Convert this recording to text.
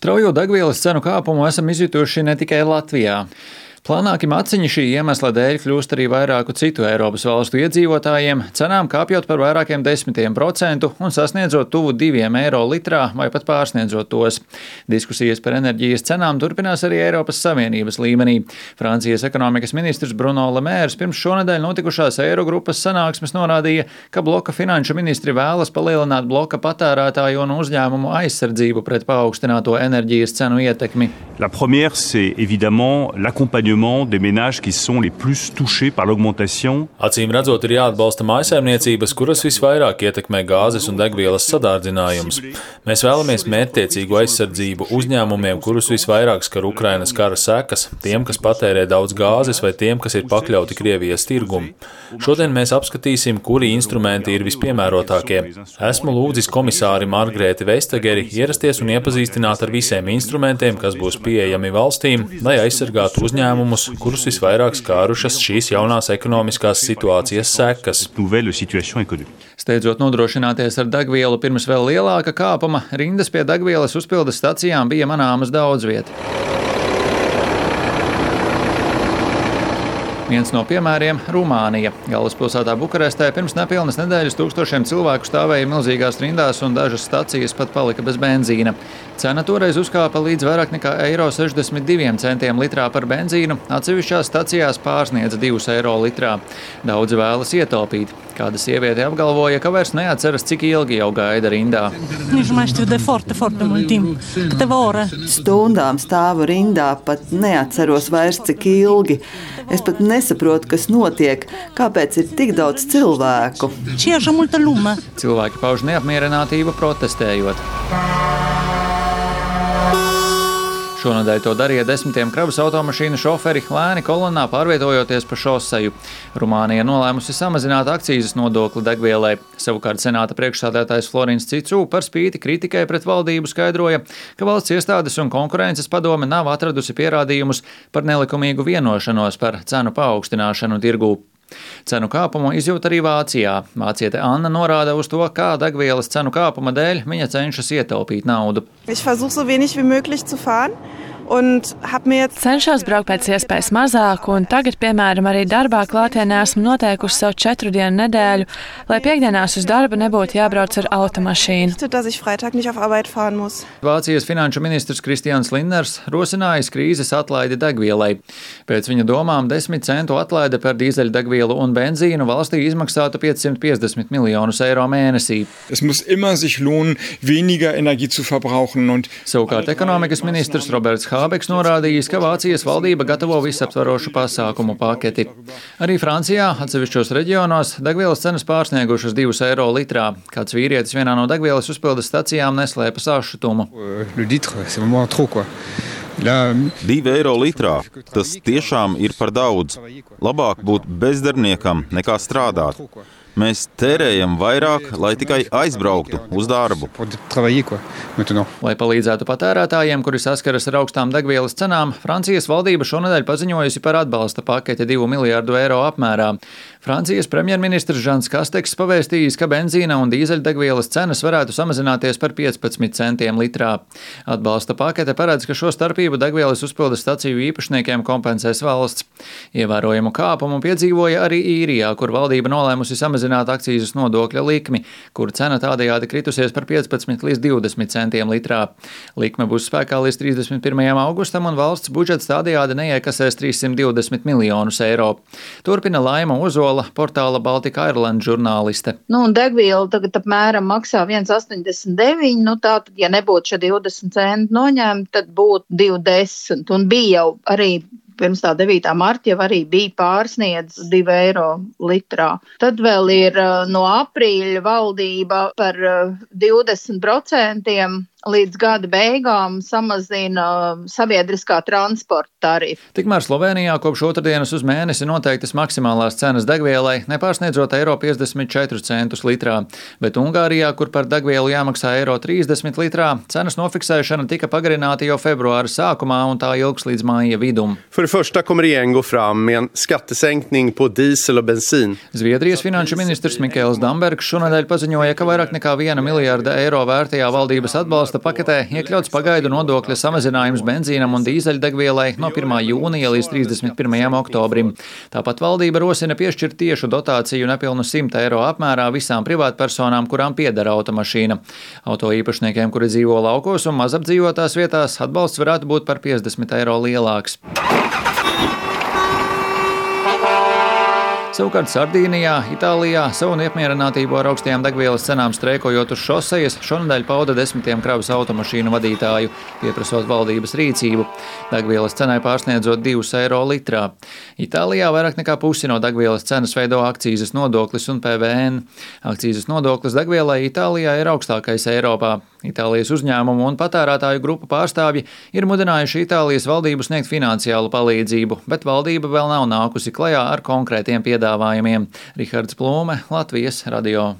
Straujo degvielas cenu kāpumu esam izjutuši ne tikai Latvijā. Plānāki maciņi šī iemesla dēļ kļūst arī vairāku citu Eiropas valstu iedzīvotājiem, cenām kāpjot par vairākiem 10% un sasniedzot tuvu 2 eiro litrā vai pat pārsniedzot tos. Diskusijas par enerģijas cenām turpinās arī Eiropas Savienības līmenī. Francijas ekonomikas ministrs Bruno Le Maire pirms šonedēļ notikušās Eirogrupas sanāksmes norādīja, ka bloka finanšu ministri vēlas palielināt bloka patērētāju un uzņēmumu aizsardzību pret paaugstināto enerģijas cenu ietekmi. La première, c'est évidemment l'accompagnement des ménages qui sont les plus touchés par l'augmentation. Acīm redzot, ir jāatbalsta mājsaimniecības, kuras visvairāk ietekmē gāzes un degvielas sadārdzinājums. Mēs vēlamies mērķtiecīgu aizsardzību uzņēmumiem, kurus visvairāk skar Ukrainas kara sekas, tiem, kas patērē daudz gāzes vai tiem, kas ir pakļauti Krievijas tirgumu. Šodien mēs apskatīsim, kuri instrumenti ir vispiemērotākie. Esmu lūdzis komisāri Margrēti Vestageri ierasties un iepazīstināt ar visiem instrumentiem, kas būs pieejami valstīm, lai aizsargātu uzņēmumus, kurus visvairāk skārušas šīs jaunās ekonomiskās situācijas sekas. Steidzot nodrošināties ar degvielu pirms vēl lielāka kāpuma, rindas pie degvielas uzpildes stacijām bija manāmas daudz viet. Viens no piemēriem – Rumānija. Galvaspilsētā Bukarestē pirms nepilnas nedēļas tūkstošiem cilvēku stāvēja milzīgās rindās un dažas stacijas pat palika bez benzīna. Cena toreiz uzkāpa līdz vairāk nekā €62 litrā par benzīnu, atsevišķās stacijās pārsniedz 2 eiro litrā. Daudzi vēlas ietaupīt. Kāda sieviete apgalvoja, ka vairs neatceras, cik ilgi jau gaida rindā. Stundām stāvu rindā, pat neatceros vairs, cik ilgi. Es pat nesaprotu, kas notiek, kāpēc ir tik daudz cilvēku. Cilvēki pauž neapmierinātību protestējot. Šonadēļ to darīja 10 kravas automašīnu šoferi lēni kolonnā pārvietojoties pa šoseju. Rumānija nolēmusi samazināt akcīzes nodokli degvielai. Savukārt senāta priekšsēdētājs Florins Cicu par spīti kritikai pret valdību skaidroja, ka valsts iestādes un konkurences padome nav atradusi pierādījumus par nelikumīgu vienošanos par cenu paaugstināšanu tirgū. Cenu kāpumu izjūt arī Vācijā. Vāciete Anna norāda uz to, kā degvielas cenu kāpuma dēļ viņa cenšas ietaupīt naudu. Cenšos braukt pēc iespējas mazāk, un tagad, piemēram, arī darbā klātienē esmu noteikusi savu 4 dienu nedēļu, lai piekdienās uz darbu nebūtu jābrauc ar automašīnu. Vācijas finanšu ministrs Kristians Lindners rosinājis krīzes atlaidi degvielai. Pēc viņa domām 10 centu atlaide par dīzeļdegvielu un benzīnu valstī izmaksātu 550 miljonus eiro mēnesī. Savukārt ekonomikas ministrs Roberts Hābeks norādījis, ka Vācijas valdība gatavo visaptvarošu pasākumu paketi. Arī Francijā atsevišķos reģionos degvielas cenas pārsniegušas 2 eiro litrā. Kāds vīrietis vienā no degvielas uzpildes stacijām neslēpa sašutumu. 2 eiro litrā. Tas tiešām ir par daudz. Labāk būt bezdarbniekam nekā strādāt. Mēs tērējam vairāk, lai tikai aizbrauktu uz darbu. Lai palīdzētu patērētājiem, kuri saskaras ar augstām degvielas cenām, Francijas valdība šonedēļ paziņojusi par atbalsta paketi 2 miljārdu eiro apmērā. Francijas premjerministrs Žans Kasteks pavēstījis, ka benzīna un dīzeļdegvielas cenas varētu samazināties par 15 centiem litrā. Atbalsta pakete paredz, ka šo starpību degvielas uzpildes staciju īpašniekiem kompensēs valsts. Ievērojumu kāpumu piedzīvoja arī Īrijā, kur valdība nolēmusi samazināt akcīzes nodokļa likmi, kur cena tādējādi kritusies par 15 līdz 20 centiem litrā. Likme būs spēkā līdz 31. augustam un valsts budžets tādējādi neiekasēs 320 miljonus eiro. Turpina Laima Ozola, portāla Baltika Ireland žurnāliste. Degviela tagad apmēram maksā 1,89, tātad, ja nebūtu šie 20 centi noņemti, tad būtu 2,10. Un bija jau arī pirms tā 9. marta jau arī bija pārsniedz 2 eiro litrā. Tad vēl ir no aprīļa valdība par 20% līdz gada beigām samazina sabiedriskā transporta tarifu. Tikmēr Slovenijā kopš otrdienas uz mēnesi noteiktas maksimālās cenas degvielai, nepārsniedzot €54 centus litrā, bet Ungārijā, kur par degvielu jāmaksā €30 litrā, cenas nofiksēšana tika pagarināta jau februāra sākumā un tā ilgs līdz māja vidum. För det första kommer regeringen gå fram med en skattesänkning på diesel och bensin. Zviedrijas finanšu ministrs Mikēls Dambergs šonedēļ paziņoja, ka vairāk nekā 1 miljārda eiro vērtajā valdības atbalsta atbalsta paketē iekļauts pagaidu nodokļa samazinājums benzīnam un dīzeļdegvielai no 1. jūnija līdz 31. oktobrim. Tāpat valdība rosina piešķirt tiešu dotāciju nepilnu 100 eiro apmērā visām privātpersonām, kurām pieder automašīna. Auto īpašniekiem, kuri dzīvo laukos un mazapdzīvotās vietās, atbalsts varētu būt par 50 eiro lielāks. Savukārt Sardīnijā, Itālijā savu neapmierinātību ar augstajām degvielas cenām streikojot uz šosejas šonedēļ pauda desmitiem kravas automašīnu vadītāju, pieprasot valdības rīcību. Degvielas cenai pārsniedzot 2 eiro litrā. Itālijā vairāk nekā pusi no degvielas cenas veido akcīzes nodoklis un PVN. Akcīzes nodoklis degvielai Itālijā ir augstākais Eiropā. Itālijas uzņēmumu un patērētāju grupu pārstāvji ir mudinājuši Itālijas valdību sniegt finansiālu palīdzību, bet valdība vēl nav nākusi klajā ar konkrētiem piedāvājumiem. Rihards Plūme, Latvijas radio.